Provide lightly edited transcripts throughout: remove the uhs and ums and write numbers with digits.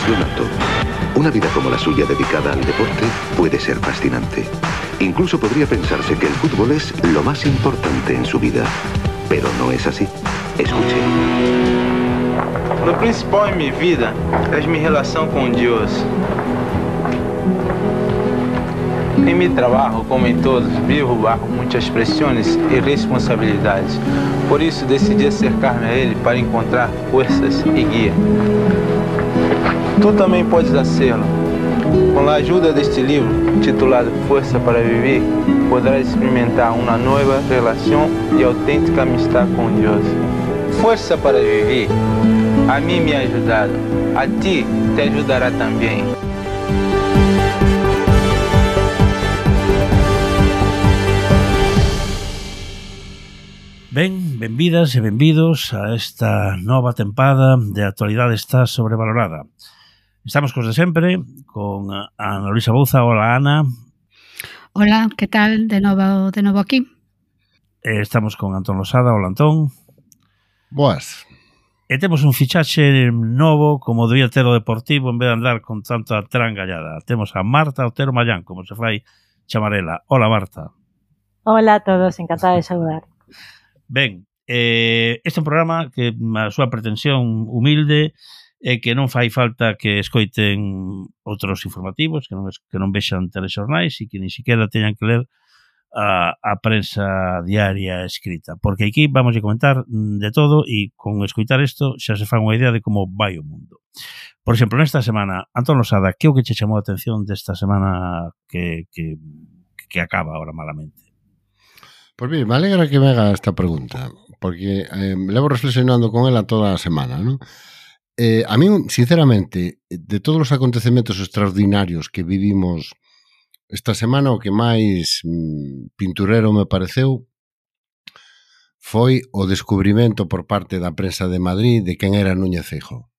Leonardo. Una vida como la suya dedicada al deporte puede ser fascinante. Incluso podría pensarse que el fútbol es lo más importante en su vida. Pero no es así. Escuche. Lo principal en mi vida es mi relación con Dios. En mi trabajo, como en todos, vivo bajo muchas presiones y responsabilidades. Por eso decidí acercarme a Él para encontrar fuerzas y guía. Tú también puedes hacerlo. Con la ayuda de este libro, titulado Fuerza para Vivir, podrás experimentar una nueva relación y auténtica amistad con Dios. Fuerza para Vivir. A mí me ha ayudado. A ti te ayudará también. Ben, benvidas e benvidos a esta nova tempada de Actualidade está sobrevalorada. Estamos cos de sempre, con Ana Luisa Bouza. Hola, Ana. Hola, que tal? De novo aquí. Estamos con Antón Losada. Hola, Antón. Boas. E temos un fichaxe novo, como debía ter o Deportivo, en vez de andar con tanta trangallada. Temos a Marta Otero Mallán, como se fai chamarela. Hola, Marta. Hola a todos, encantada de saludar. Ben, este é un programa que a súa pretensión humilde é que non fai falta que escoiten outros informativos, que non vexan telexornais e que ni siquiera teñan que ler a prensa diaria escrita, porque aquí vamos a comentar de todo e con escoitar isto xa se fan unha idea de como vai o mundo. Por exemplo, nesta semana, Antón Losada, que é o que che chamou a atención desta semana que acaba ahora malamente? Pois mire, me alegra que me haga esta pregunta, porque levo reflexionando con ela toda a semana, ¿no? A mí, sinceramente, de todos os acontecementos extraordinarios que vivimos esta semana, o que máis pinturero me pareceu foi o descubrimento por parte da prensa de Madrid de quen era Núñez Feijóo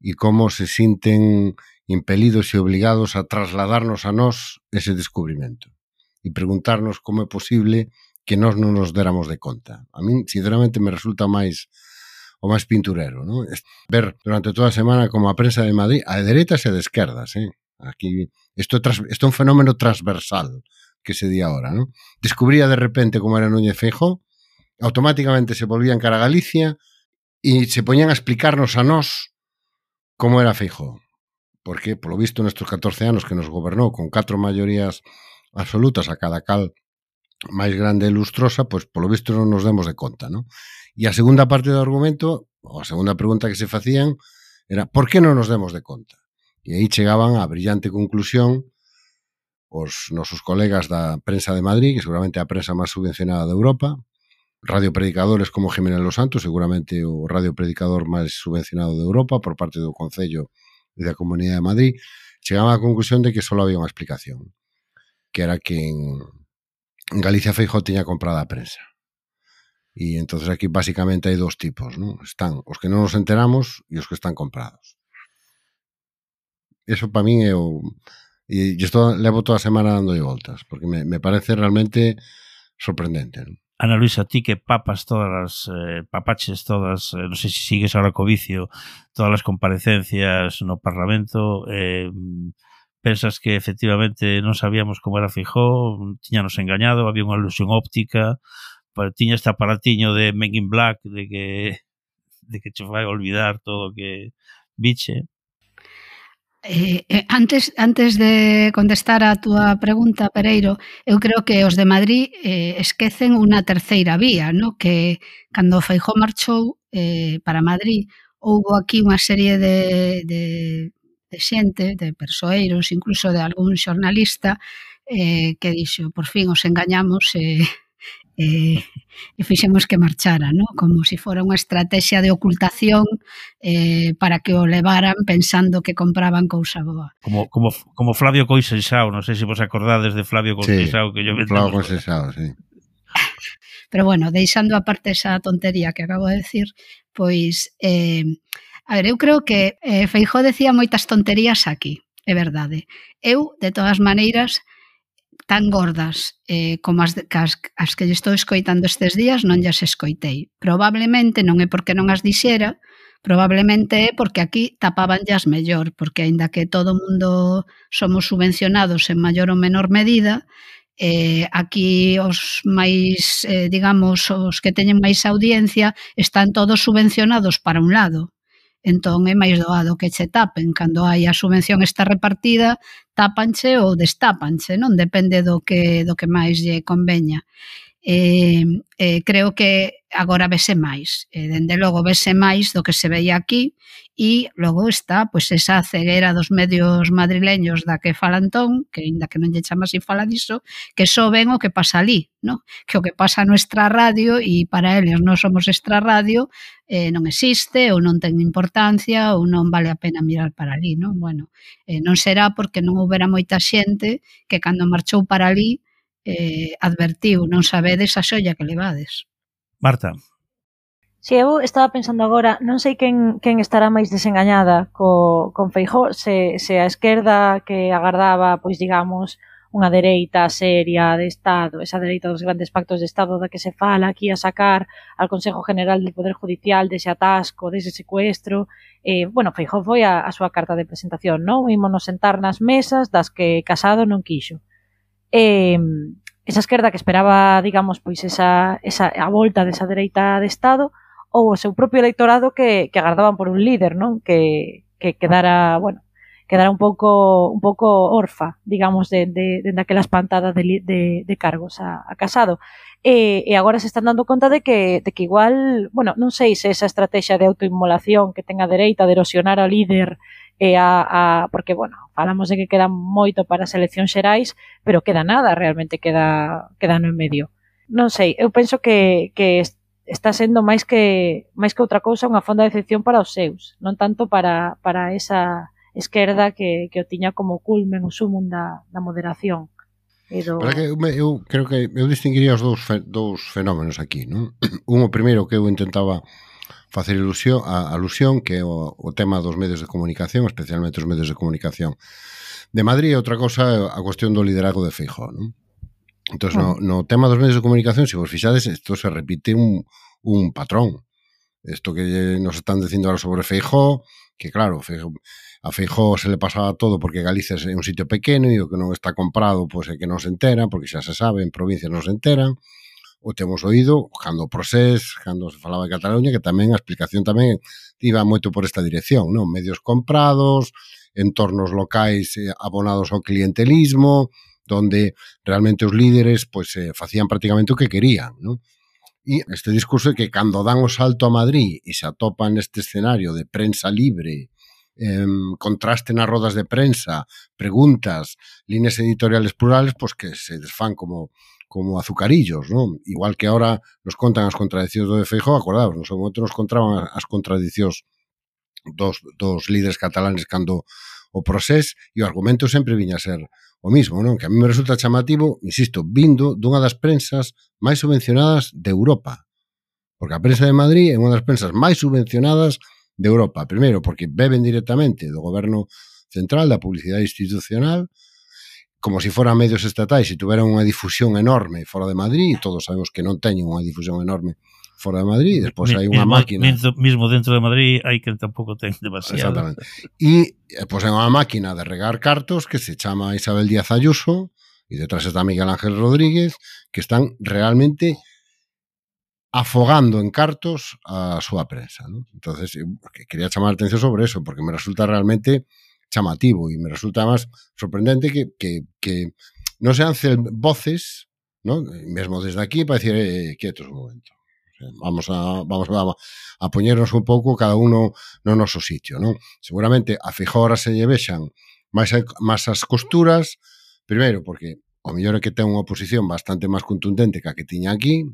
e como se sinten impelidos e obligados a trasladarnos a nós ese descubrimento e preguntarnos como é posible que nós non nos déramos de conta. A min, sinceramente, me resulta o máis pinturero, ¿no? Ver durante toda a semana como a prensa de Madrid, a de dereitas e de esquerdas, aquí isto é un fenómeno transversal que se di ahora, ¿no? Descubría de repente como era Núñez Feijóo, automáticamente se volvían cara a Galicia e se poñían a explicarnos a nós como era Feijóo. Porque, polo visto, nestes 14 anos que nos gobernou con 4 maiorías absolutas a cada cal máis grande e lustrosa, pois polo visto non nos demos de conta, ¿no? E a segunda parte do argumento, ou a segunda pregunta que se facían, era por que non nos demos de conta? E aí chegaban á brillante conclusión os nosos colegas da prensa de Madrid, que seguramente é a prensa máis subvencionada de Europa, radiopredicadores como Jiménez Los Santos, seguramente o radiopredicador máis subvencionado de Europa por parte do Concello e da Comunidade de Madrid, chegaban á conclusión de que só había unha explicación, que era que en Galicia Feijóo tiña comprado a prensa. E entonces aquí basicamente hai dos tipos, ¿no? Están os que non nos enteramos e os que están comprados. Eso para min é o... E isto levo toda a semana dando voltas, porque me parece realmente sorprendente, ¿no? Ana Luisa, ti que papas todas papaches todas, non sei se sigues ahora co vicio, todas as comparecencias no Parlamento, pensas que efectivamente non sabíamos como era Feijóo, tiñanos engañado, había unha ilusión óptica, tiña este aparatiño de Men in Black de que che vai olvidar todo o que viche. Antes de contestar a túa pregunta, Pereiro, eu creo que os de Madrid esquecen unha terceira vía, ¿no? Que cando Feijóo marchou para Madrid, houbo aquí unha serie de xente, de persoeiros, incluso de algún xornalista que dixo, por fin os engañamos e fixemos que marchara, ¿no? Como se fora unha estrategia de ocultación para que o levaran pensando que compraban cousa boa. Como Flavio Coixensao, non sei se vos acordades de Flavio Coixensao, sí, que yo Flavio Coixensao, sí. Pero bueno, deixando aparte esa tontería que acabo de decir, pois a ver, eu creo que Feijóo decía moitas tonterías aquí, é verdade. Eu, de todas maneiras, tan gordas como as que lle estou escoitando estes días non llas escoitei. Probablemente non é porque non as dixera, Probablemente é porque aquí tapabanllas mellor, porque aínda que todo o mundo somos subvencionados en maior ou menor medida, aquí os máis, digamos, os que teñen máis audiencia están todos subvencionados para un lado. Entón é máis doado que che tapen. Cando hai a subvención está repartida, tápanche ou destápanche, non? Depende do que máis lle conveña. Creo que agora vese máis, dende logo vese máis do que se veía aquí, e logo está pois esa ceguera dos medios madrileños da que fala Antón, que aínda que non lle chama así fala diso, que só ven o que pasa ali, no? Que o que pasa no extrarradio, e para eles non somos extrarradio, non existe, ou non ten importancia, ou non vale a pena mirar para ali, non? Bueno, non será porque non houbera moita xente que cando marchou para ali advertiu, non sabedes a xolla que levades. Marta. Si, eu estaba pensando agora, non sei quen estará máis desengañada con Feijóo, se a esquerda que agardaba, pois digamos, unha dereita seria de Estado, esa dereita dos grandes pactos de Estado da que se fala aquí a sacar al Consejo General del Poder Judicial dese atasco, dese secuestro. Bueno, Feijóo foi a súa carta de presentación, non? Ímonos sentar nas mesas das que Casado non quixo. Esa esquerda que esperaba, digamos, pois esa a volta desa dereita de Estado, ou o seu propio electorado que agardaban por un líder, non? Que quedara, bueno, quedara un pouco orfa, digamos, de aquela espantada de cargos a Casado. E agora se están dando conta de que igual, bueno, non sei se esa estrategia de autoinmolación que ten a dereita de erosionar ao líder porque, bueno, falamos de que queda moito para as eleccións xerais, pero queda nada, realmente queda no en medio. Non sei, eu penso que está sendo máis que outra cousa unha fonda de decepción para os seus, non tanto para esa esquerda que o tiña como culmen, o sumum da moderación. Pero que eu creo que eu distinguiría os dous fenómenos aquí, non? Un, o primeiro que eu intentaba facer alusión, que é o tema dos medios de comunicación, especialmente os medios de comunicación de Madrid, e outra cosa a cuestión do liderazgo de Feijóo, non? Entón, no tema dos medios de comunicación, se vos fixades, isto se repite un patrón. Isto que nos están dicindo ahora sobre Feijóo, que claro, a Feijóo se le pasaba todo porque Galicia é un sitio pequeno e o que non está comprado pois é que non se enteran, porque xa se sabe, en provincias non se enteran. O temos oído cando o Procés, cando se falaba de Cataluña, que tamén a explicación tamén iba moito por esta dirección, non? Medios comprados, entornos locais abonados ao clientelismo, donde realmente os líderes pois facían prácticamente o que querían, non? E este discurso é que cando dan o salto a Madrid e se atopan neste escenario de prensa libre, contraste nas rodas de prensa, preguntas, líneas editoriales plurales, pois que se desfán como azucarillos, non? Igual que ahora nos contan as contradicións do de Feijóo, acordados, no seu momento nos contaban as contradicións dos líderes catalanes cando o Procés, e o argumento sempre viña a ser o mismo, non? Que a mí me resulta chamativo, insisto, vindo dunha das prensas máis subvencionadas de Europa. Porque a prensa de Madrid é unha das prensas máis subvencionadas de Europa. Primeiro, porque beben directamente do goberno central, da publicidade institucional, como se foran medios estatais e tuveran unha difusión enorme fora de Madrid, e todos sabemos que non teñen unha difusión enorme fora de Madrid, e despois hai unha máquina... Mismo dentro de Madrid hai que tampouco ten demasiado. Exactamente. E pois hai unha máquina de regar cartos que se chama Isabel Díaz Ayuso, e detrás está Miguel Ángel Rodríguez, que están realmente afogando en cartos a súa prensa, ¿no? Entonces, quería chamar a atención sobre eso, porque me resulta realmente chamativo e me resulta máis sorprendente que non sean voces, ¿no? Mesmo desde aquí para decir quietos un momento. Vamos a poñernos un pouco cada uno no noso sitio, non? Seguramente a Feijóo ahora se lle vexan máis as costuras, primeiro porque o mellor é que ten unha oposición bastante máis contundente que a que tiña aquí,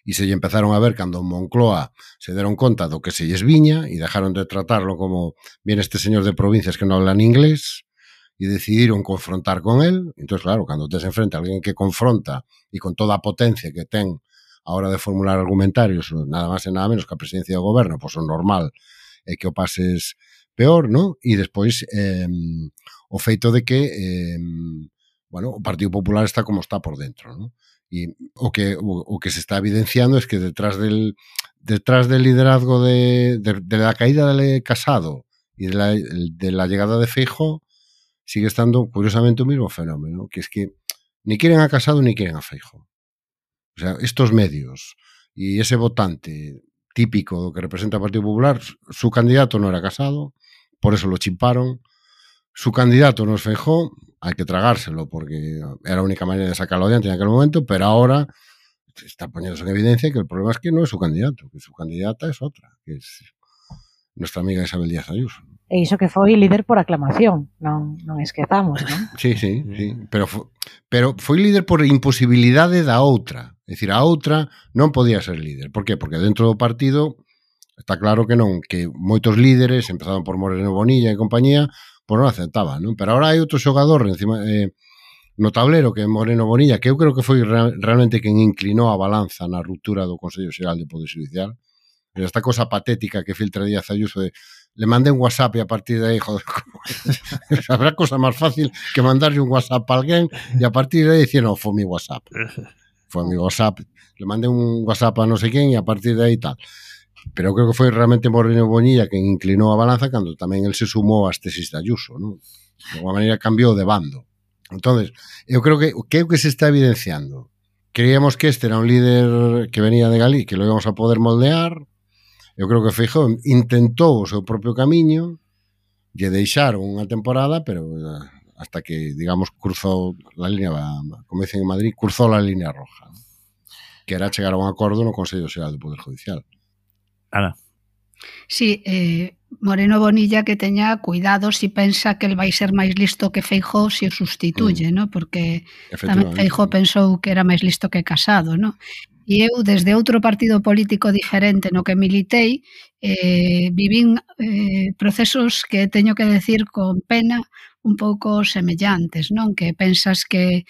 e se lle empezaron a ver cando en Moncloa se deron conta do que se lles viña e dejaron de tratarlo como viene este señor de provincias que non hablan inglés e decidiron confrontar con él. Entón, claro, cando tes enfrente a alguén que confronta e con toda a potencia que ten a hora de formular argumentarios, nada máis e nada menos que a presidencia do goberno, pois o normal é que o pases peor, non? E despois o feito de que bueno, o Partido Popular está como está por dentro, non? E o que se está evidenciando es que detrás detrás del liderazgo de la caída de Casado y de la llegada de Feijóo, sigue estando curiosamente un mismo fenómeno, que es que ni quieren a Casado ni quieren a Feijóo. O sea, estos medios y ese votante típico que representa el Partido Popular, su candidato no era Casado, por eso lo chimparon. Su candidato no es Feijóo, hay que tragárselo porque era la única manera de sacarlo adiante en aquel momento, pero ahora está poniéndose en evidencia que el problema es que no es su candidato, que su candidata es otra, que es nuestra amiga Isabel Díaz Ayuso. E iso que foi líder por aclamación, non esquezamos, non? Sí, pero foi líder por imposibilidade da outra. É dicir, a outra non podía ser líder. Por qué? Porque dentro do partido está claro que non, que moitos líderes, empezaron por Moreno Bonilla e compañía, pois non aceptaban, non? Pero agora hai outro xogador encima no tablero que é Moreno Bonilla, que eu creo que foi realmente quen inclinou a balanza na ruptura do Consello Xeral de Poder Judicial. Esta cosa patética que filtra Díaz Ayuso de le mandé un WhatsApp y a partir de ahí, joder, habrá cosa más fácil que mandarle un WhatsApp a alguien y a partir de ahí decir, no, fue mi WhatsApp. Fue mi WhatsApp. Le mandé un WhatsApp a no sé quién y a partir de ahí tal. Pero creo que foi realmente Moreno Bonilla quen inclinou a balanza cando tamén el se sumou ás tesis de Ayuso, ¿no? De alguma maneira cambiou de bando. Entonces, eu creo que o que se está evidenciando? Creíamos que este era un líder que venía de Galicia, que lo íbamos a poder moldear. Eu creo que Feijóo intentou o seu propio camiño, lle deixaron unha temporada, pero hasta que, digamos, cruzou a línea, como dicen en Madrid, cruzou a línea roja, ¿no? Que era chegar a un acordo no Consello Xeral do Poder Judicial. Ana. Sí, Moreno Bonilla que teña cuidado si pensa que el vai ser máis listo que Feijóo se o sustituye, ¿no? Porque tamén Feijóo pensou que era máis listo que Casado, ¿no? E eu, desde outro partido político diferente no que militei, vivín procesos que teño que decir con pena un pouco semellantes, non? Que pensas que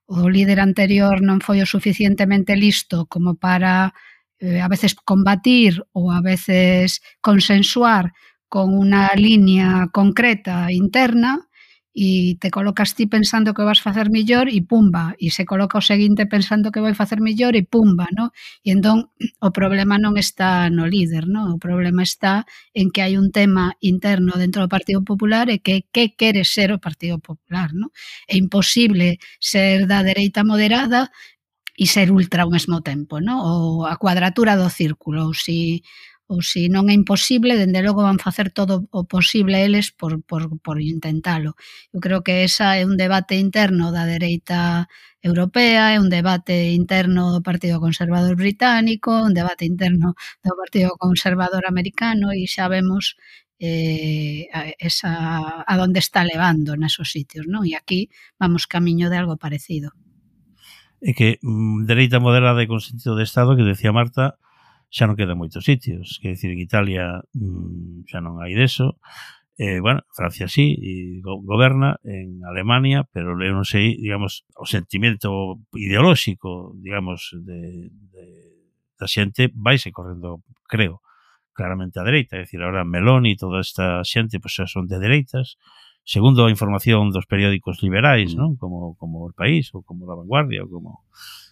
o líder anterior non foi o suficientemente listo como para a veces combatir ou a veces consensuar con unha línea concreta interna e te colocas ti pensando que vas facer millor e pumba, e se coloca o seguinte pensando que vai facer millor e pumba, no? E entón o problema non está no líder, no? O problema está en que hai un tema interno dentro do Partido Popular e que quere ser o Partido Popular, no? É imposible ser da dereita moderada e ser ultra ao mesmo tempo, no? Ou a cuadratura do círculo, ou se non é imposible, dende logo van facer todo o posible eles por intentalo. Eu creo que esa é un debate interno da dereita europea, é un debate interno do Partido Conservador británico, un debate interno do Partido Conservador americano e xa vemos a donde está levando nesos sitios, non? E aquí vamos camiño de algo parecido. É que dereita moderada e con sentido de Estado, que decía Marta, xa non quedan moitos sitios. Quer dicir, en Italia xa non hai deso. Bueno, Francia sí, e goberna, en Alemania, pero eu non sei, digamos, o sentimento ideolóxico, digamos, da xente vaise correndo, creo, claramente a dereita. É dicir, ahora Meloni e toda esta xente pois, xa son de dereitas, segundo a información dos periódicos liberais, non? Como El País, ou como La Vanguardia, ou como...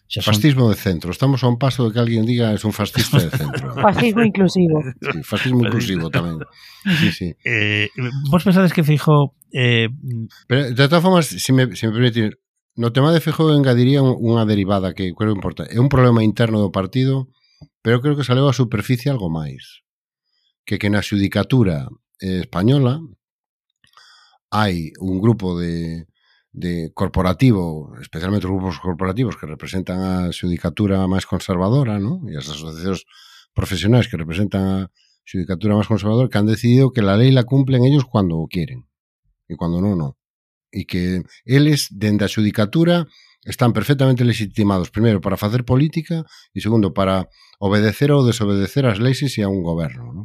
Fascismo de centro. Estamos a un paso de que alguén diga es un fascista de centro. Fascismo inclusivo. Sí, fascismo inclusivo tamén. Sí, sí. Vos pensades que Feijóo... Pero, de todas formas, se me permite, no tema de Feijóo engadiría unha derivada que creo importante. É un problema interno do partido, pero creo que saleu a superficie algo máis. Que na xudicatura española hai un grupo de corporativo, especialmente os grupos corporativos que representan a xudicatura máis conservadora, ¿no? E as asociacións profesionais que representan a xudicatura máis conservadora, que han decidido que la lei la cumplen ellos cuando quieren e cuando non. E que eles, dende a xudicatura, están perfectamente legitimados, primeiro, para facer política e segundo, para obedecer ou desobedecer as leis e a un goberno, ¿no?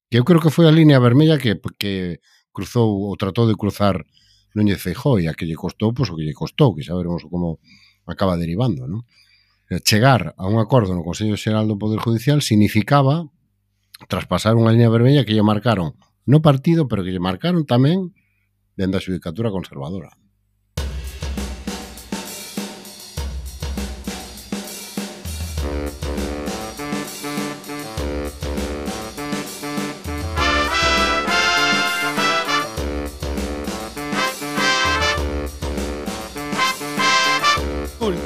Que eu creo que foi a línea vermella que cruzou ou tratou de cruzar Núñez Feijóo, e a que lle costou, pois o que lle costou, que xa veremos como acaba derivando, non? Chegar a un acordo no Consello Xeral do Poder Judicial significaba traspasar unha línea vermella que lle marcaron no partido, pero que lle marcaron tamén dende a xudicatura conservadora.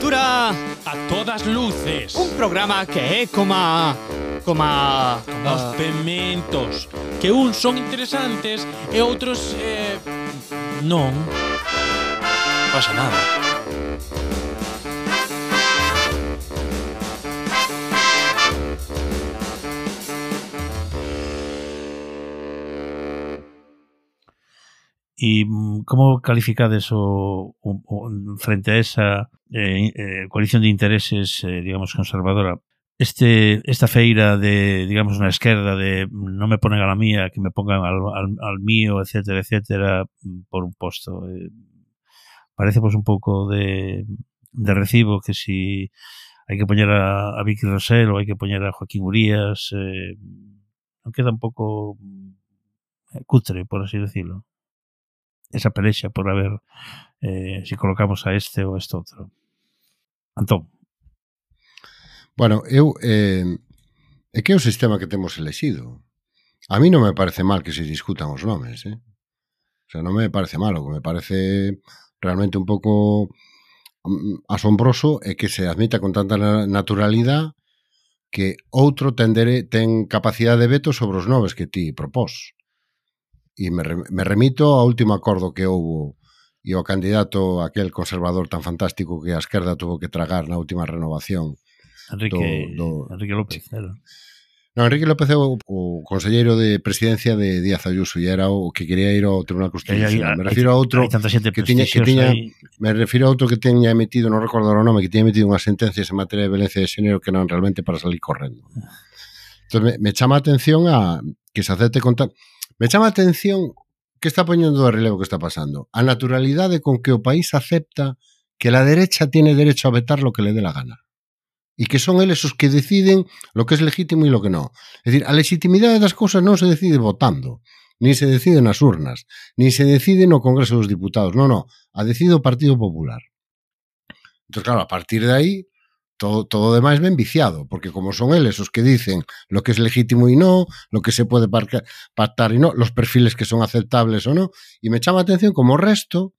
Aventura a todas luces. Un programa que é coma os pementos, que uns son interesantes e outros non pasa nada. E como calificades frente a esa coalición de intereses, digamos, conservadora, esta feira de, digamos, na esquerda de non me ponen a la mía, que me pongan al mío, etcétera, etcétera, por un posto? Parece pues un pouco de recibo que si hai que poñer a Vicky Rosell ou hai que poñer a Joaquín Urías, non queda un pouco cutre, por así decirlo, esa pelexa por a ver si colocamos a este ou a este outro. Antón. Bueno, é que é o sistema que temos elexido. A mí non me parece mal que se discutan os nomes, O sea, non me parece mal, o que me parece realmente un pouco asombroso é que se admita con tanta naturalidade que outro ten capacidade de veto sobre os nomes que ti propós. E me remito ao último acordo que houbo e o candidato aquel conservador tan fantástico que a esquerda tuvo que tragar na última renovación. Enrique López. No, Enrique López é o conselleiro de presidencia de Díaz Ayuso e era o que quería ir ao Tribunal Constitucional. Me refiro a outro que teña emitido, non recordo o nome, que teña emitido unhas sentencias en materia de violencia de xénero que non realmente para salir correndo. Entón, me chama a atención a que se acepte contar. Me chama a atención que está poñendo de relevo que está pasando. A naturalidade con que o país acepta que la derecha tiene derecho a vetar lo que le dé la gana. E que son eles os que deciden lo que es legítimo e lo que non. É dicir, a legitimidade das cousas non se decide votando, nin se decide nas urnas, nin se decide no Congreso dos Diputados. Non, a decide o Partido Popular. Entón, claro, a partir de aí, todo demais ben viciado, porque como son eles os que dicen lo que es legítimo e non, lo que se pode pactar e non, los perfiles que son aceptables ou non, e me chama a atención como o resto,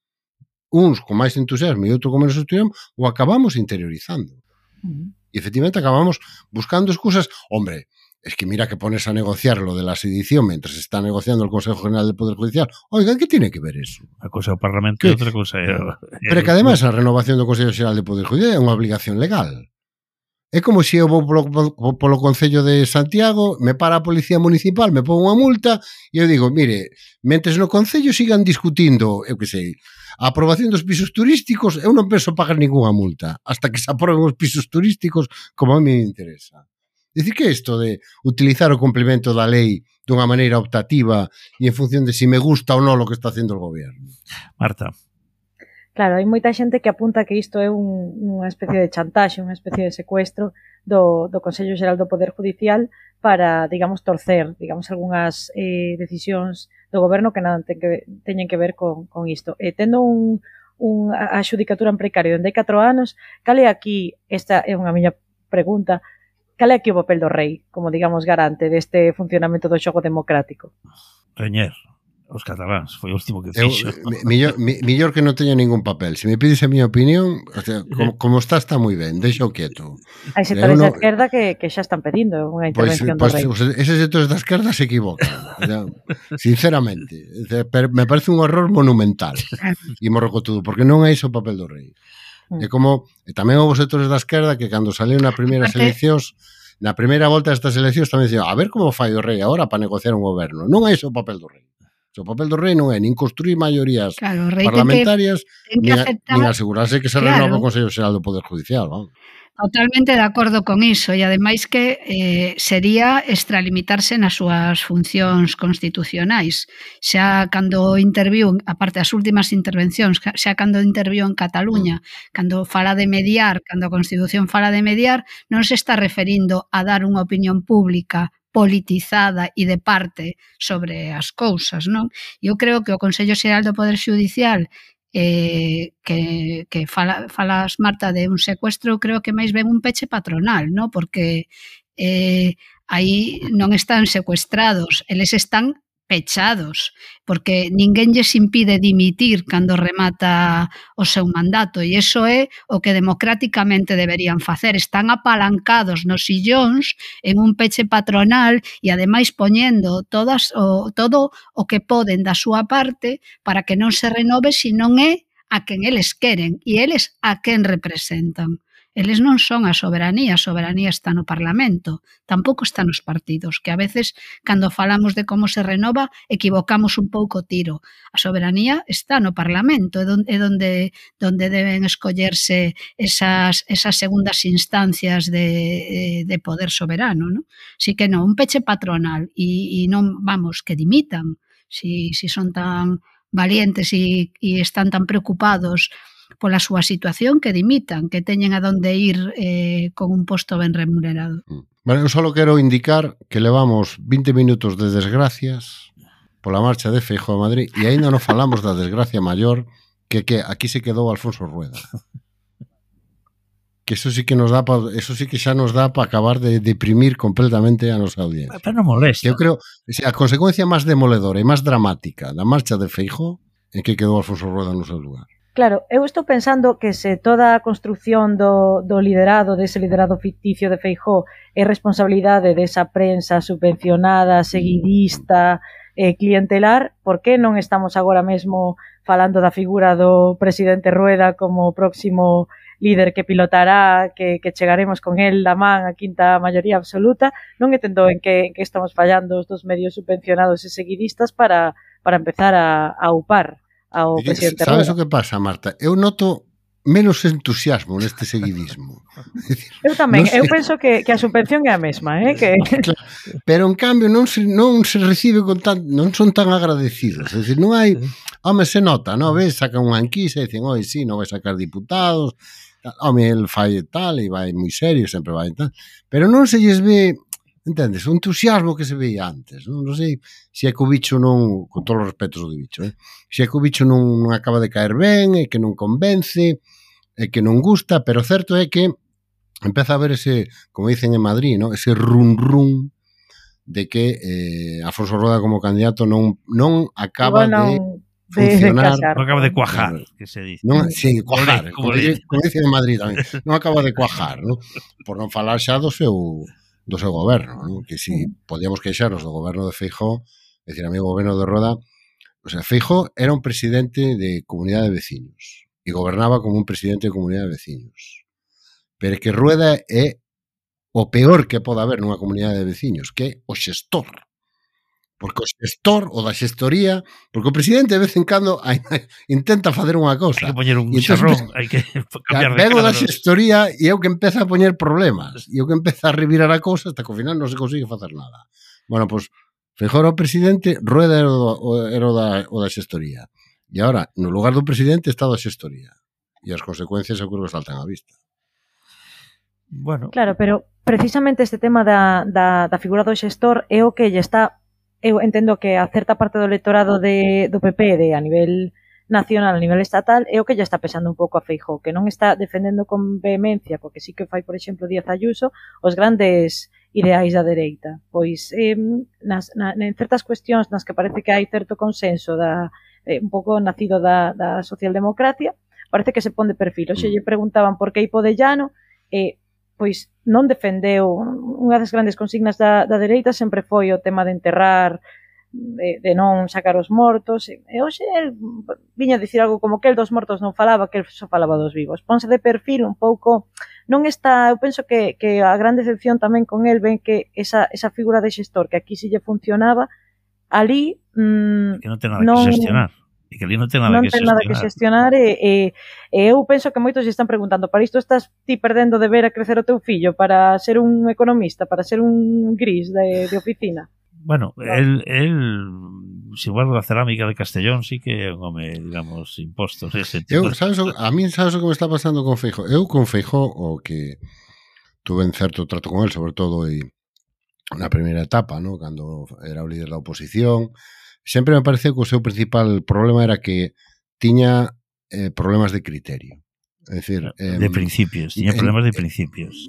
uns con máis entusiasmo e outro con menos entusiasmo, o acabamos interiorizando. E efectivamente acabamos buscando excusas. Hombre, es que mira que pones a negociar lo de la sedición mientras se está negociando el Consejo General del Poder Judicial. Oiga, ¿qué tiene que ver eso? Una cosa é o Parlamento e outra cosa é... Pero que además a renovación do Consejo General del Poder Judicial é unha obligación legal. É como se eu vou polo Concello de Santiago, me para a Policía Municipal, me pon unha multa e eu digo, mire, mentres no Concello sigan discutindo, eu que sei, a aprobación dos pisos turísticos, eu non penso pagar ninguna multa hasta que se aproben os pisos turísticos como a mí me interesa. Dicir que isto de utilizar o complemento da lei dunha maneira optativa e en función de si me gusta ou non o que está facendo o goberno. Marta. Claro, hai moita xente que apunta que isto é unha especie de chantaxe, unha especie de secuestro do Consello Xeral do Poder Judicial para, digamos, torcer, digamos, algunhas decisións do goberno que non teñen que ver con isto. Tendo a xudicatura en precario dende 4 anos, cal é aquí, esta é unha miña pregunta, cal é aquí o papel do rei, como, digamos, garante deste funcionamento do xogo democrático? Reñer os cataláns, foi o último que fixo. Millor que non teña ningún papel. Se me pides a miña opinión, o sea, como está moi ben, deixa o quieto. Hai sectores da esquerda que xa están pedindo unha intervención do rei. Eses sectores da esquerda se equivocan, sinceramente. Me parece un error monumental e morrocotudo, porque non é iso o papel do rei. É como, tamén houve sectores da esquerda que cando saleu na primeira eleccións, na primeira volta destas eleccións tamén dicían, a ver como fai o rei agora para negociar un goberno. Non é iso o papel do rei. O papel do rei non é nin construir maiorías parlamentarias nin asegurarse que se renova o Consello Xeral do Poder Judicial. Totalmente de acordo con iso e ademais que sería extralimitarse nas súas funcións constitucionais. Xa cando interviu, aparte das últimas intervencións, xa cando interviu en Cataluña, cando fala de mediar, cando a Constitución fala de mediar, non se está referindo a dar unha opinión pública politizada e de parte sobre as cousas, non? Eu creo que o Consello Xeral do Poder Xudicial que falas, Marta, de un secuestro, creo que máis ben un peche patronal, non? Porque aí non están secuestrados, eles están pechados, porque ninguén lles impide dimitir cando remata o seu mandato, e iso é o que democráticamente deberían facer. Están apalancados nos sillóns en un peche patronal e ademais poñendo todo o que poden da súa parte para que non se renove se non é a quen eles queren e eles a quen representan. Eles non son a soberanía está no Parlamento, tampouco está nos partidos, que a veces, cando falamos de como se renova, equivocamos un pouco o tiro. A soberanía está no Parlamento, é onde deben escollerse esas segundas instancias de poder soberano, non? Si que non, un peche patronal, e non, vamos, que dimitan, si son tan valientes e están tan preocupados pola súa situación, que dimitan, que teñen a donde ir con un posto ben remunerado. Bueno, eu só quero indicar que levamos 20 minutos de desgracias pola marcha de Feijóo a Madrid e aínda non falamos da desgracia maior que aquí se quedou Alfonso Rueda. Que eso sí que xa nos dá para acabar de deprimir completamente a nosa audiencia. Pero non molesta. Que eu creo, a consecuencia máis demoledora e máis dramática da marcha de Feijóo é que quedou Alfonso Rueda no seu lugar. Claro, eu estou pensando que se toda a construción do liderado, dese liderado ficticio de Feijóo, é responsabilidade desa prensa subvencionada, seguidista, clientelar, por que non estamos agora mesmo falando da figura do presidente Rueda como próximo líder que pilotará, que chegaremos con el da man a quinta maioría absoluta? Non entendo en que estamos fallando os dos medios subvencionados e seguidistas para empezar a upar ao presidente Rueda. Sabes o que pasa, Marta? Eu noto menos entusiasmo neste seguidismo. Eu tamén, eu penso que a subvención é a mesma, que... Claro, pero en cambio non se recibe con non son tan agradecidos. É dicir, non hai, home, se nota, non ves, sacan unha enquisa e dicen, oi, sí, non vai sacar diputados, home, el fai tal e vai moi serio, sempre vai tal, pero non se lles ve, entendes, o entusiasmo que se veía antes. Non sei se é que o bicho non, con todos os respetos do bicho, se é que o bicho non acaba de caer ben, e que non convence, e que non gusta, pero certo é que empeza a haber ese, como dicen en Madrid, ¿no? Ese run de que Alfonso Rueda como candidato non acaba de funcionar. Non acaba de cuajar, que se dice. Sí, cuajar, como dicen en Madrid tamén. Non acaba de cuajar, ¿no? Por non falar xa do seu goberno, ¿no? Que si podíamos queixarnos do goberno de Feijóo, é dicir, a mí o goberno de Rueda, o sea, Feijóo era un presidente de comunidade de veciños e gobernaba como un presidente de comunidade de veciños. Pero é que Rueda é o peor que pode haber nunha comunidade de veciños, que é o xestor. Porque o xestor, o da xestoría, porque o presidente de vez en cando intenta facer unha cousa. Hai que poñer un xarrón, hai que cambiar de cara. Vengo da xestoría e é o que empeza a poñer problemas, e o que empeza a revirar a cousa hasta que ao final non se consigue facer nada. Bueno, pois, Feijóo era o presidente, Rueda era o da xestoría. E agora, no lugar do presidente está o da xestoría. E as consecuencias eu creo que saltan á vista. Bueno. Claro, pero precisamente este tema da figura do xestor é o que lle está... Eu entendo que a certa parte do electorado do PP a nivel nacional, a nivel estatal, é o que lle está pesando un pouco a Feijóo, que non está defendendo con vehemencia, porque sí que fai, por exemplo, Díaz Ayuso, os grandes ideais da dereita. Pois en certas cuestións nas que parece que hai certo consenso un pouco nacido da socialdemocracia, parece que se pon de perfil. Oxe, lle preguntaban por que Ipo de Llano, pois non defendeu, unha das grandes consignas da dereita sempre foi o tema de enterrar, de non sacar os mortos, e hoxe el viña a dicir algo como que el dos mortos non falaba, que el só falaba dos vivos. Ponse de perfil un pouco, non está, eu penso que a gran decepción tamén con el ven que esa figura de xestor que aquí si lle funcionaba, ali que non ten nada que xestionar. E que ali non ten nada que xestionar e eu penso que moitos se están preguntando, para isto estás ti perdendo de ver a crecer o teu fillo para ser un economista, para ser un gris de oficina? Bueno, el se guarda da cerámica de Castellón sí que é un home, digamos, impostos ese tipo. A mí sabes o que me está pasando con Feijóo? Eu con Feijóo o que tuve en certo trato con él, sobre todo na primeira etapa, ¿no? Cando era o líder da oposición, sempre me pareceu que o seu principal problema era que tiña problemas de criterio. É dicir, de principios, tiña problemas de principios.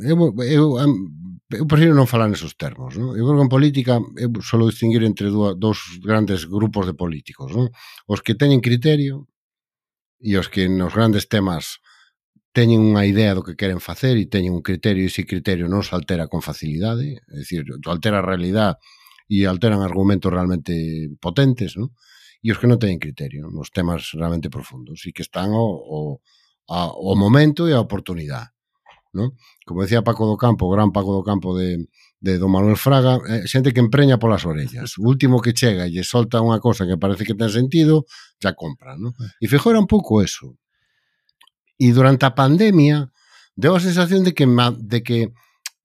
eu prefiro non falar nesos termos, non? Eu creo que en política eu solo distinguir entre dous grandes grupos de políticos, non? Os que teñen criterio e os que nos grandes temas teñen unha idea do que queren facer e teñen un criterio e ese criterio non se altera con facilidade, é dicir, altera a realidade e alteran argumentos realmente potentes, non? E os que non teñen criterio nos temas realmente profundos e que están ao momento e a oportunidade, non? Como decía Paco do Campo, o gran Paco do Campo de Don Manuel Fraga, xente que empreña polas orellas. O último que chega e lle solta unha cosa que parece que ten sentido, ya compra, non? E Feijóo era un pouco eso. E durante a pandemia deu a sensación de que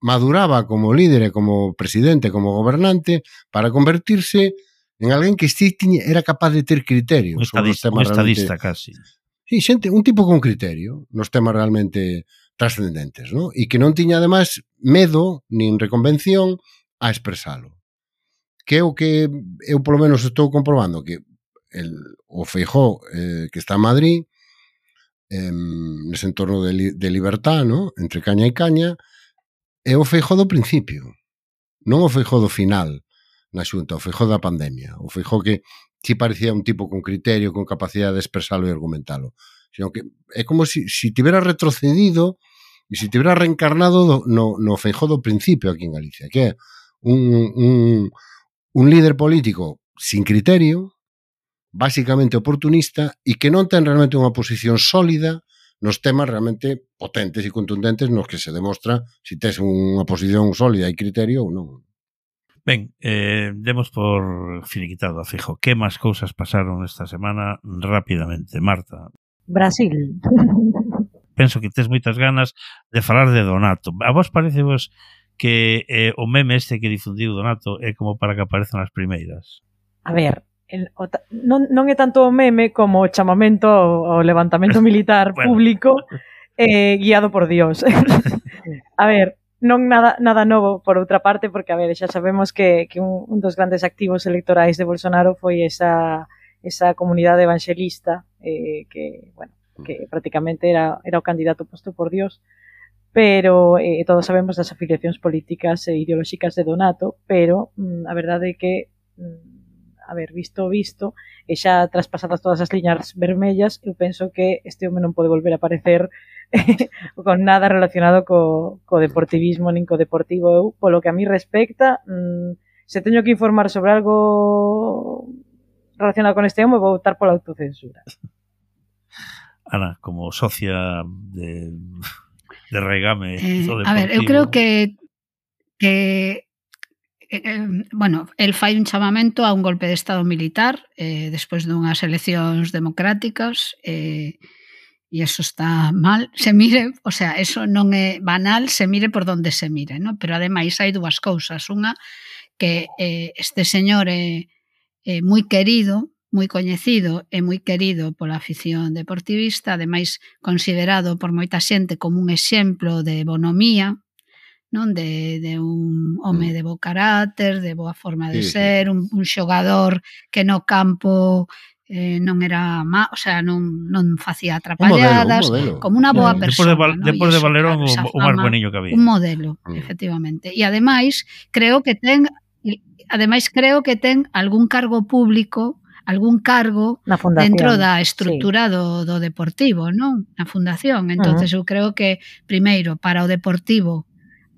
maduraba como líder e como presidente, como gobernante, para convertirse en alguén que era capaz de ter criterio sobre os temas estadista casi. Sí, xente, un tipo con criterio nos temas realmente trascendentes, ¿no? E que non tiña, ademais, medo nin reconvención a expresalo. Que é o que eu, polo menos, estou comprobando que o Feijóo que está en Madrid, nese entorno de libertad, ¿no? Entre caña e caña, é o Feijóo do principio, non o Feijóo do final na Xunta, o Feijóo da pandemia, o Feijóo que si parecía un tipo con criterio, con capacidade de expresalo e argumentalo, sino que é como si tivera retrocedido e si tivera reencarnado no Feijóo do principio aquí en Galicia, que é un líder político sin criterio, básicamente oportunista, e que non ten realmente unha posición sólida nos temas realmente potentes e contundentes nos que se demostra si tes unha posición sólida e criterio ou non. Ben, demos por finiquitado a Feijóo. Que máis cousas pasaron esta semana rapidamente? Marta. Brasil. Penso que tes moitas ganas de falar de Donato. A vos parecevos que o meme este que difundiu Donato é como para que aparezan as primeiras? A ver, non é tanto o meme como o chamamento ao levantamento militar público guiado por Dios. A ver, non nada novo por outra parte, porque a ver, xa sabemos que un dos grandes activos electorais de Bolsonaro foi esa comunidade evangelista que prácticamente era o candidato posto por Dios, pero todos sabemos das afiliacións políticas e ideolóxicas de Donato, pero a verdade é que a ver, visto, e xa traspasadas todas as liñas vermellas, eu penso que este home non pode volver a aparecer con nada relacionado co deportivismo nin co deportivo. Eu, polo que a mí respecta, se teño que informar sobre algo relacionado con este home, vou optar pola autocensura. Ana, como socia de Regame do deportivo. A ver, eu creo que bueno, el fai un chamamento a un golpe de estado militar despois dunhas eleccións democráticas e eso está mal, se mire, o sea, eso non é banal, se mire por donde se mire, ¿no? Pero ademais hai dúas cousas, unha que este señor é moi querido, moi coñecido e moi querido pola afición deportivista, ademais considerado por moita xente como un exemplo de bonomía, non, de un home de bo carácter, de boa forma de ser, un xogador que no campo non era o sea, non facía atrapalladas, un modelo. como unha boa persona. Depois de Valerón, o máis bueniño que había. Un modelo, efectivamente. E ademais, creo que ten algún cargo público, algún cargo dentro da estrutura do deportivo, non? Na fundación. Entonces eu creo que, primeiro, para o deportivo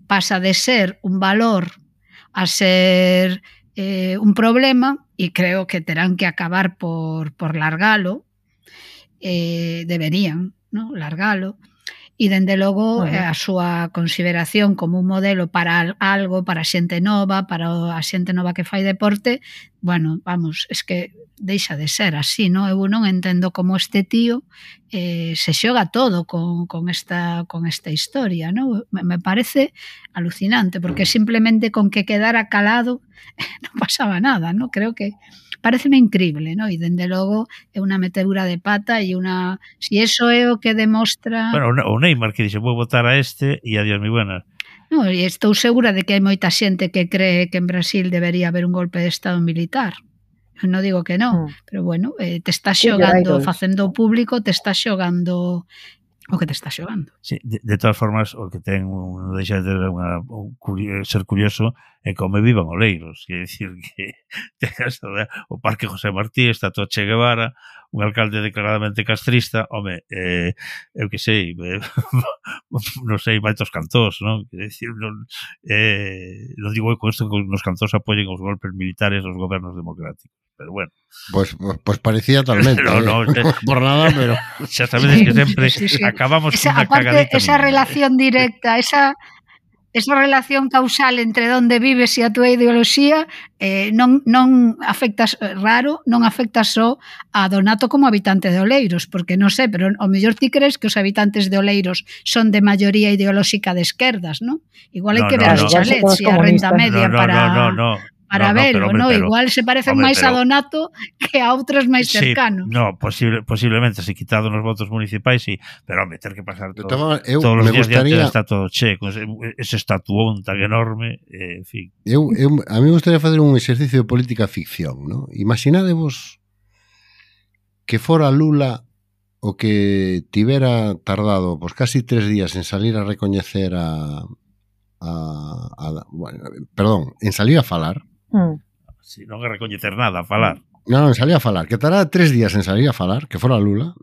pasa de ser un valor a ser un problema e creo que terán que acabar por largalo, deberían, ¿no? Largalo, e dende logo a súa consideración como un modelo para algo, para xente nova, para a xente nova que fai deporte, bueno, vamos, es que deixa de ser así, non? Eu non entendo como este tío se xoga todo con esta historia, non? Me parece alucinante, porque simplemente con que quedara calado non pasaba nada, non? Creo que pareceme increíble, non? E dende logo é unha metedura de pata e unha... Si eso é o que demostra... Bueno, o Neymar que dixe, vou votar a este e adiós, mi buena. Non, e estou segura de que hai moita xente que cree que en Brasil debería haber un golpe de estado militar. Non digo que non, pero bueno, te estás xogando, facendo público, te estás xogando o que te está xogando. Sí, de todas formas, o que ten non deixa de ter ser curioso é como vivan Oleiros, quer dicir que tengas o Parque José Martí, está todo Che Guevara, un alcalde declaradamente castrista, home, eu que sei, non sei, maitos cantós, non? Quer dicir, non digo con isto que os cantós apoyen os golpes militares dos gobernos democráticos, pero bueno. Pues parecía talmente, no, por nada, pero... Xa sabedes que sempre acabamos cunha cagadita. Esa relación directa, esa relación causal entre onde vives e a túa ideoloxía non afecta só a Donato como habitante de Oleiros, porque non sei, pero ao mellor ti crees que os habitantes de Oleiros son de maioría ideolóxica de esquerdas, non? Igual hai que ver os chalets e a renta media para verlo, ¿no? Igual se parecen máis a Donato que a outros máis cercanos. No, posiblemente, se quitado nos votos municipais, sí, pero home, ter que pasar todos os días diante da estatua do Che, con ese estatuón tan enorme, en fin. A mí me gustaría facer un exercicio de política ficción, ¿no? Imaginadevos que fora Lula o que tivera tardado pues casi 3 días en salir a recoñecer en salir a falar. Si non é recoñecer nada, a falar. Non, en salir a falar. Que tarara 3 días en salir a falar, que fora Lula,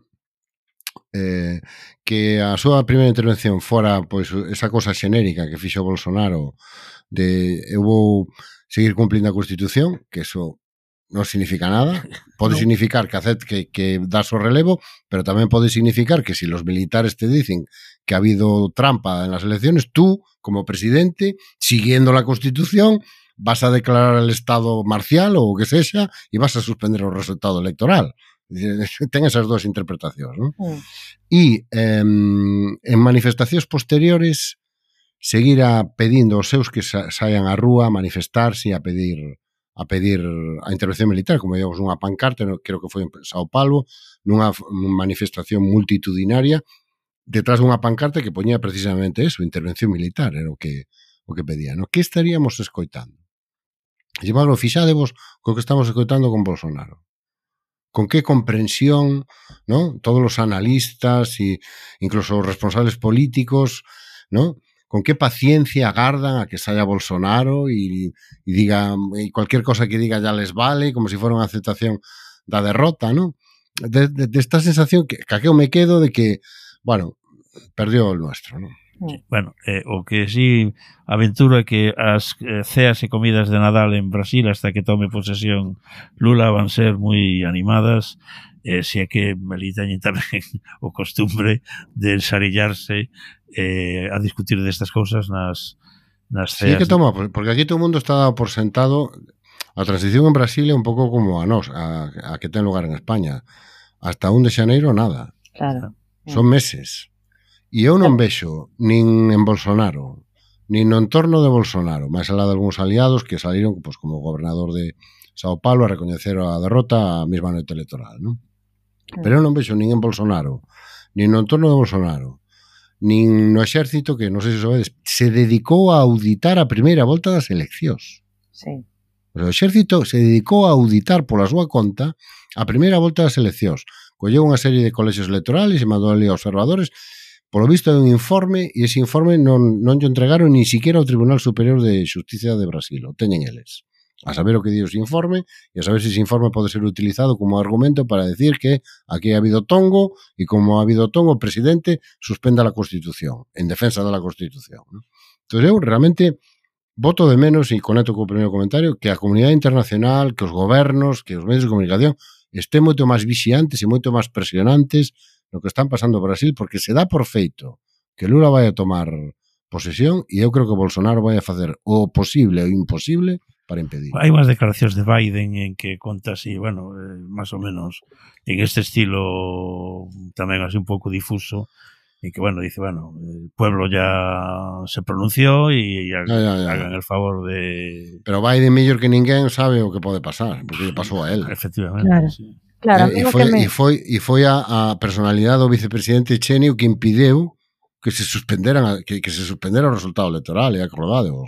que a súa primeira intervención fora pois esa cosa xenérica que fixo Bolsonaro de eu vou seguir cumplindo a Constitución, que eso non significa nada. Pode significar que das o relevo, pero tamén pode significar que si los militares te dicen que ha habido trampa en las elecciones, tú, como presidente, siguiendo la Constitución, vas a declarar el estado marcial ou o que sexa e vas a suspender o resultado electoral. Ten esas dúas interpretacións, non? E en manifestacións posteriores seguirá pedindo aos seus que saian á rúa a manifestarse e a pedir a intervención militar, como digamos unha pancarta, creo que foi en Sao Paulo, nunha manifestación multitudinaria, detrás dunha pancarta que poñía precisamente eso, intervención militar, era o que pedía, non? Que estaríamos escoitando? Llevalo, fixádevos co que estamos escoitando con Bolsonaro. Con que comprensión, ¿no? Todos os analistas e incluso os responsables políticos, ¿no? Con que paciencia agardan a que saia Bolsonaro e diga, e cualquier cosa que diga ya les vale, como si fuera unha aceptación da derrota, ¿no? De esta sensación que eu me quedo de que, bueno, perdió el nuestro, ¿no? Bueno, o que sí aventura é que as ceas e comidas de Nadal en Brasil hasta que tome posesión Lula van ser moi animadas, se é que ali teñen tamén o costumbre de ensarillarse a discutir destas cousas nas ceas. Sí que toma, porque aquí todo o mundo está dado por sentado. A transición en Brasil é un pouco como a nos, a que ten lugar en España. Hasta 1 de xaneiro nada. Claro. Son meses. E eu non vexo nin en Bolsonaro, nin no entorno de Bolsonaro, máis alá de algúns aliados que saliron pues, como gobernador de Sao Paulo a recoñecer a derrota a mesma noite electoral, non? Pero eu non vexo nin en Bolsonaro, nin no entorno de Bolsonaro, nin no exército, que non sei se sabedes, se dedicou a auditar a primeira volta das eleccións. Sí. O exército se dedicou a auditar pola súa conta a primeira volta das eleccións. Colleu unha serie de colexios electorales e mandou ali a observadores. Polo visto é un informe e ese informe non lle entregaron ni siquiera ao Tribunal Superior de Xusticia de Brasil, o teñen eles. A saber o que di ese informe e a saber se ese informe pode ser utilizado como argumento para decir que aquí ha habido tongo e como ha habido tongo o presidente suspenda la Constitución, en defensa da Constitución, ¿no? Entón eu realmente voto de menos, e conecto co primeiro comentario, que a comunidade internacional, que os gobernos, que os medios de comunicación estén moito máis vixiantes e moito máis presionantes lo que están pasando en Brasil, porque se dá por feito que Lula vai a tomar posesión e eu creo que Bolsonaro vai a facer o posible o imposible para impedir. Hai unhas declaracións de Biden en que conta así, bueno, máis ou menos en este estilo tamén así un pouco difuso, en que, bueno, dice, bueno, el pueblo ya se pronunció e hagan el favor de... Pero Biden mellor que ninguén sabe o que pode pasar, porque lle pasou a él. Efectivamente, claro. Sí. Claro, e foi a personalidade do vicepresidente Cheney que impideu que se suspendera o resultado electoral, e acordádevos,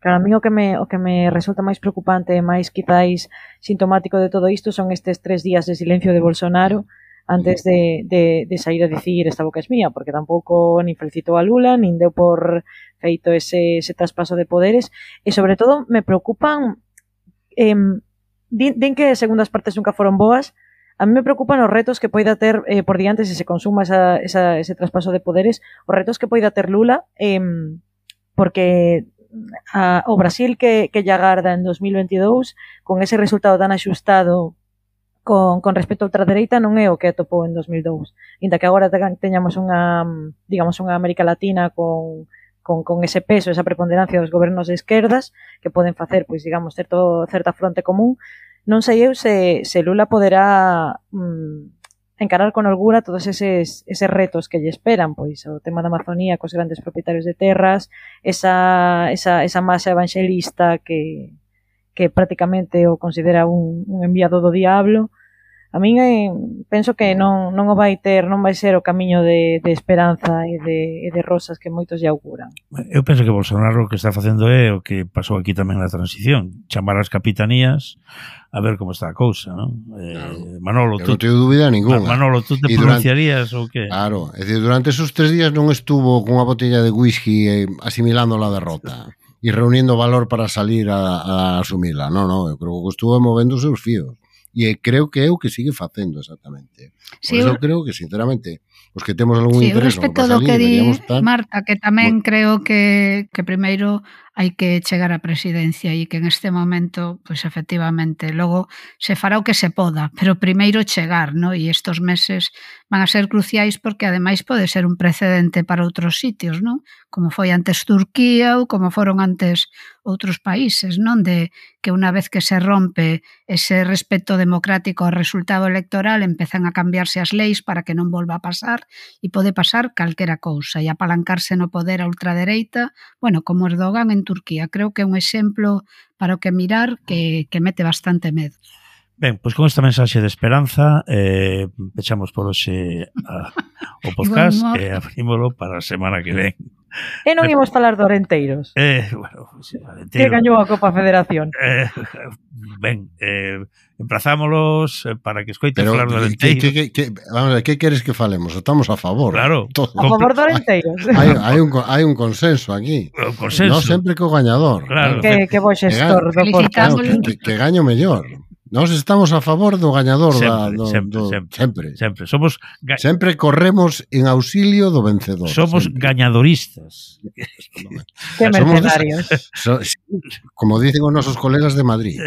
Claro, a mí o que me resulta máis preocupante e máis quizáis sintomático de todo isto son estes 3 días de silencio de Bolsonaro, antes de sair a dicir esta boca es mía, porque tampouco nin felicitou a Lula, nin deu por feito ese traspaso de poderes, e sobre todo me preocupan, din que segundas partes nunca foron boas, a mí me preocupan os retos que poida ter por diante se consuma ese traspaso de poderes, os retos que poida ter Lula, porque o Brasil que lle agarda en 2022, con ese resultado tan axustado con respecto a ultradereita, non é o que atopou en 2002. Inda que agora teñamos unha América Latina con ese peso, esa preponderancia dos gobernos de esquerdas que poden facer, pois, digamos, certa fronte común, non sei eu se Lula poderá encarar con holgura todos eses retos que lle esperan, pois o tema da Amazonía cos grandes propietarios de terras, esa masa evangelista que prácticamente o considera un enviado do diablo. A min penso que non vai ser o camiño de esperanza e de rosas que moitos lle auguran. Eu penso que Bolsonaro o que está facendo é o que pasou aquí tamén na transición, chamar as capitanías a ver como está a cousa, non? Manolo, tú non teño dúbida ninguna. Manolo, tú te pronunciarías ou que? Claro, é dicir, durante esos 3 días non estuvo con unha botella de whisky asimilando la derrota e reuniendo valor para salir a asumila. Non, eu creo que estuvo movendo os seus fíos. E creo que é o que sigue facendo exactamente. Por eso creo que, sinceramente, os que temos algún interés no que pasa ali, deberíamos estar... Marta, que tamén creo que primeiro hai que chegar á presidencia e que en este momento, pois efectivamente, logo se fará o que se poda, pero primeiro chegar, ¿no? E estos meses van a ser cruciais porque ademais pode ser un precedente para outros sitios, ¿no? Como foi antes Turquía ou como foron antes outros países, non? De que unha vez que se rompe ese respeto democrático ao resultado electoral empezan a cambiarse as leis para que non volva a pasar e pode pasar calquera cousa e apalancarse no poder a ultradereita, bueno, como Erdogan en Turquía. Creo que é un exemplo para o que mirar que mete bastante medo. Ben, pois con esta mensaxe de esperanza pechamos por hoxe o podcast e abrímolo para a semana que ven. E non imos falar de Orenteiros. Bueno, que gañou a Copa Federación. Ben, emplazámolos para que escoiten falar do Orenteiros. Vamos a ver, que queres que falemos? Estamos a favor. Claro. A favor do Orenteiros. Hai un consenso aquí. Un consenso. Non sempre co gañador. Claro. Que bo xestor do podcast. Que gaño mellor. Nós estamos a favor do gañador sempre. Sempre corremos en auxilio do vencedor. Somos gañadoristas. Que mercenarios. Como dicen os nosos colegas de Madrid.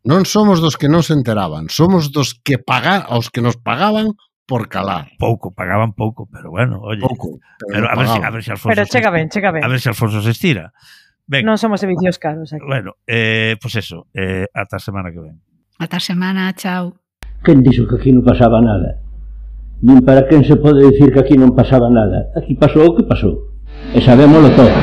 Non somos dos que non se enteraban, somos dos que aos que nos pagaban por calar. Pagaban pouco, pero bueno, oye. Pouco, pero a ver si Alfonso. Pero chega ben. A ver si Alfonso se estira. Ben. Non somos servicios caros aquí. Bueno, pues eso, ata a semana que ven. Ata a semana, chao. Quen dixo que aquí non pasaba nada? Nin para quen se pode dicir que aquí non pasaba nada. Aquí pasou o que pasou. E sabémolo todo.